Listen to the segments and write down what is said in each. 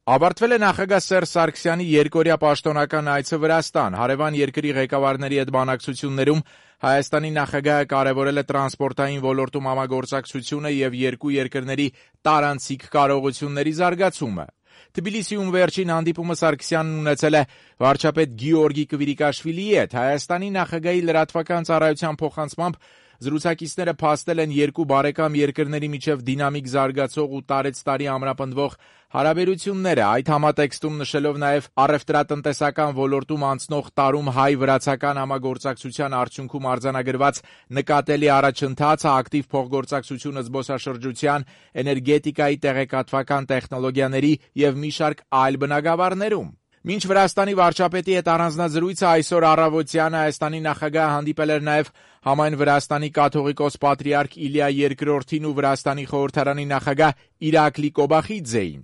Ավարտվել է նախագահ Սերժ Սարգսյանի երկօրյա պաշտոնական այցը Վրաստան։ Հարևան երկրի ղեկավարների հետ բանակցություններում Հայաստանի նախագահը կարևորել է տրանսպորտային ոլորտում համագործակցությունը եւ երկու երկրների տարանցիկ կարողությունների զարգացումը։ Թբիլիսիում վերջին հանդիպումը Սարգսյանն ունեցել է վարչապետ Գեորգի Կվիրիկաշվիլիի հետ։ Հայաստանի նախագահի լրատվական ծառայության փոխանցմամբ զրուցակիցները փաստել են երկու բարեկամ երկրների միջև դինամիկ զարգացող ու տարեցտարի ամրապնդվող հարաբերությունները, այդ համատեքստում նշելով նաև առևտրատնտեսական ոլորտում անցնող տարում հայ-վրացական համագործակցության արդյունքում արձանագրված նկատելի առաջընթացը, ակտիվ փոխգործակցությունը զբոսաշրջության, էներգետիկայի, տեղեկատվական տեխնոլոգիաների եւ մի շարք այլ բնագավառներում։ Մինչ Վրաստանի վարչապետի հետ առանձնազրույցը այսօր առավոտյան Հայաստանի նախագահը հանդիպել էր նաև համայն Վրաստանի կաթողիկոս պատրիարք Իլիա II-ին ու Վրաստանի խորհրդարանի նախագահ Իրակլի Կոբախիձեին։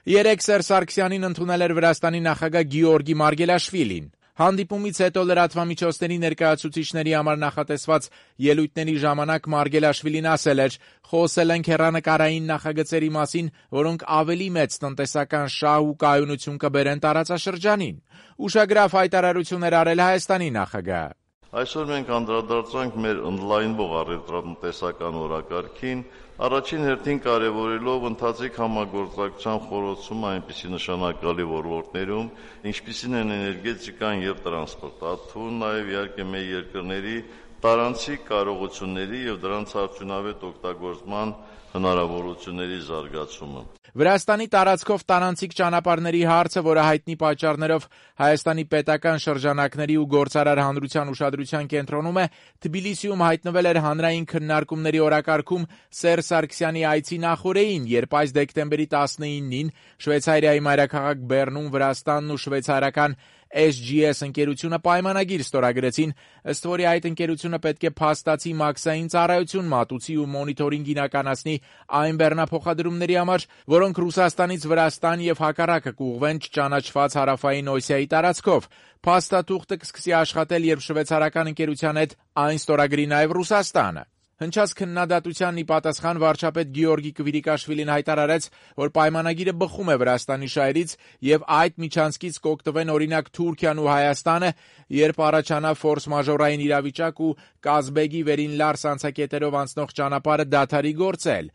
Երեկ Սերժ Սարգսյանին ընդունել էր Վրաստանի նախագահ Գեորգի Մարգելաշվիլին։ Հանդիպումից հետո լրատվամիջոցների ներկայացուցիչների համար նախատեսված ելույթների ժամանակ Մարգելաշվիլին ասել էր. «Խոսել ենք հեռանկարային նախագծերի մասին, որոնք ավելի մեծ տնտեսական շահ ու կայունություն կբերեն տարածաշրջանին»։ Ուշագրավ հայտարարություններ արել Հայաստանի նախագահը։ Այսօր մենք անդրադարձանք մեր ընդլայնվող առևտրատնտեսական օրակարգին, առաջին հերթին կարևորելով ընթացիկ համագործակցության խորացումը այնպիսի նշանակալի ոլորտներում, ինչպիսին են էներգետիկան եւ տրանսպորտը, նաեւ իհարկե մեր երկրների տարանցիկ կարողությունների եւ դրանց արդյունավետ օգտագործման հնարավորությունների զարգացումը։ Վրաստանի տարածքով տարանցիկ ճանապարհների հարցը, որը հայտնի պատճառներով Հայաստանի պետական շրջանակների ու գործարար հանրության ուշադրության կենտրոնում է, Թբիլիսիում հայտնվել էր հանրային քննարկումների օրակարգում Սերժ Սարգսյանի այցի նախօրեին, երբ այս դեկտեմբերի 19-ին Շվեյցարիայի մայրաքաղաք Բեռնում Վրաստանն ու շվեյցարական SGS ընկերությունը պայմանագիր ստորագրեցին, ըստ որի այդ ընկերությունը պետք է փաստացի մաքսային ծառայություն մատուցի ու մոնիթորինգ իրականացնի այն բեռնափոխադրումների համար, որոնք Ռուսաստանից Վրաստան եւ հակառակը կուղղվեն չճանաչված հարավային Օսիայի տարածքով։ Փաստաթուղթը կսկսի աշխատել, երբ շվեյցարական ընկերության հետ այն ստորագրի նաեւ Ռուսաստանը։ Հնչած քննադատությանն ի պատասխան վարչապետ Գեորգի Կվիրիկաշվիլին հայտարարեց, որ պայմանագիրը բխում է Վրաստանի շահերից եւ այդ միջանցքից կօգտվեն օրինակ Թուրքիան ու Հայաստանը, երբ առաջանա ֆորս-մաժորային իրավիճակ ու Կազբեգի վերին Լարս անցակետերով անցնող ճանապարհը դադարի գործել։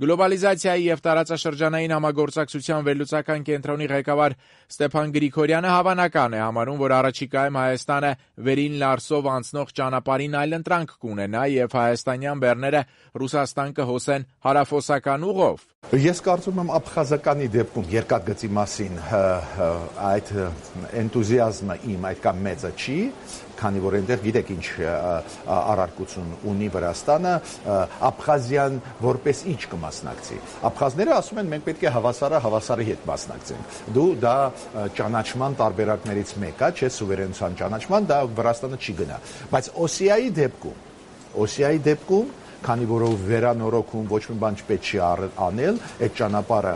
Գլոբալիզացիայի եւ տարածաշրջանային համագործակցության վերլուծական կենտրոնի ղեկավար Ստեփան Գրիգորյանը հավանական է համարում, որ առաջիկայում Հայաստանը վերին Լարսով անցնող ճանապարհին այլընտրանք կունենա եւ հայաստանյան բեռները Ռուսաստան կհոսեն հարավոսական ուղով։ Ես կարծում եմ Աբխազականի դեպքում երկաթգծի մասին այդ էնտուզիազմը իմ այդքան մեծը չի, քանի որ այնտեղ գիտեք ինչ առարկություն ունի Վրաստանը, Աբխազիան որպես ինչ կմասնակցի։ Աբխազները ասում են մենք պետք է հավասարի հետ մասնակցենք։ Դու դա ճանաչման տարբերակներից մեկը, չէ, սուվերենության ճանաչման, դա Վրաստանը չի գնա։ Բայց Օսիայի դեպքում քանի որով վերանորոգում ոչ մի բան չպետք չի անել, այդ ճանապարհը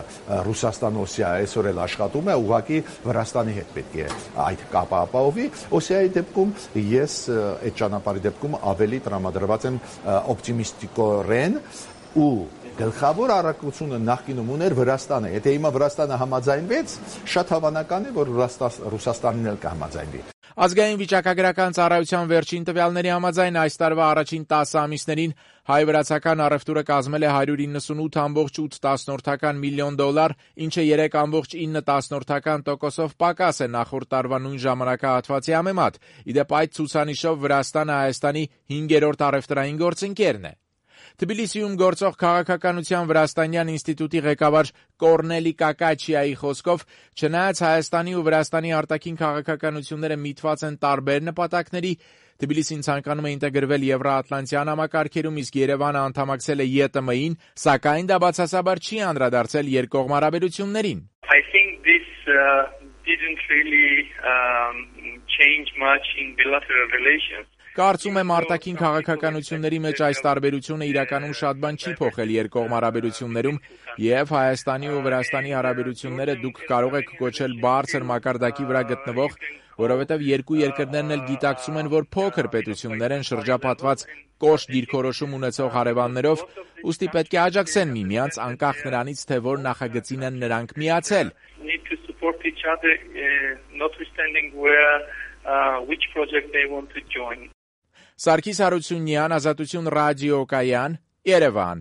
Ռուսաստան-Օսիա այսօր էլ աշխատում է, ուղղակի Վրաստանի հետ պետք է այդ կապը ապահովի։ Օսիայի դեպքում ես այդ ճանապարհի դեպքում ավելի տրամադրված եմ օպտիմիստիկորեն ու գլխավոր առաքությունը նախկինում ուներ Վրաստանը։ Եթե հիմա Վրաստանը համաձայնվեց, շատ հավանական է, որ Ռուսաստանն էլ կհամաձայնվի։ Ազգային վիճակագրական ծառայության վերջին տվյալների համաձայն այս տարվա առաջին 10 ամիսներին հայ-վրացական առևտուրը կազմել է $198.8 միլիոն, ինչը 3.9% պակաս է նախորդ տարվա նույն ժամանակահատվածի համեմատ։ Իդեպ այդ ցուցանիշով Վրաստանը Հայաստանի 5-րդ առևտրային գործընկերն է։ Թբիլիսիում գործող քաղաքականության Վրաստանյան ինստիտուտի ղեկավար Կորնելի Կակաչիայի խոսքով, չնայած Հայաստանի ու Վրաստանի արտաքին քաղաքականությունները միտված են տարբեր նպատակների, Թբիլիսին ցանկանում է ինտեգրվել Եվրոատլանտյան համակարգերում, իսկ Երևանը անդամակցել է ԵՏՄ-ին, սակայն դա բացասաբար չի անդրադարձել երկկողմ հարաբերություններին։ I think this didn't really change much in bilateral relations. Կարծում եմ արտաքին քաղաքականությունների մեջ այս տարբերությունը իրականում շատ բան չի փոխել երկկողմ հարաբերություններում եւ Հայաստանի ու Վրաստանի հարաբերությունները դուք կարող եք կոչել բարձր մակարդակի վրա գտնվող, որովհետեւ երկու երկրներն էլ գիտակցում են, որ փոքր պետություններ են շրջապատված կոշտ դիրքորոշում ունեցող հարևաններով, ուստի պետք է աջակցեն միմյանց անկախ նրանից, թե որ նախագծին են նրանք միացել։ Need to support each other, notwithstanding which project they want to join. Սարգիս Հարությունյան, Ազատություն ռադիոկայան, Երևան։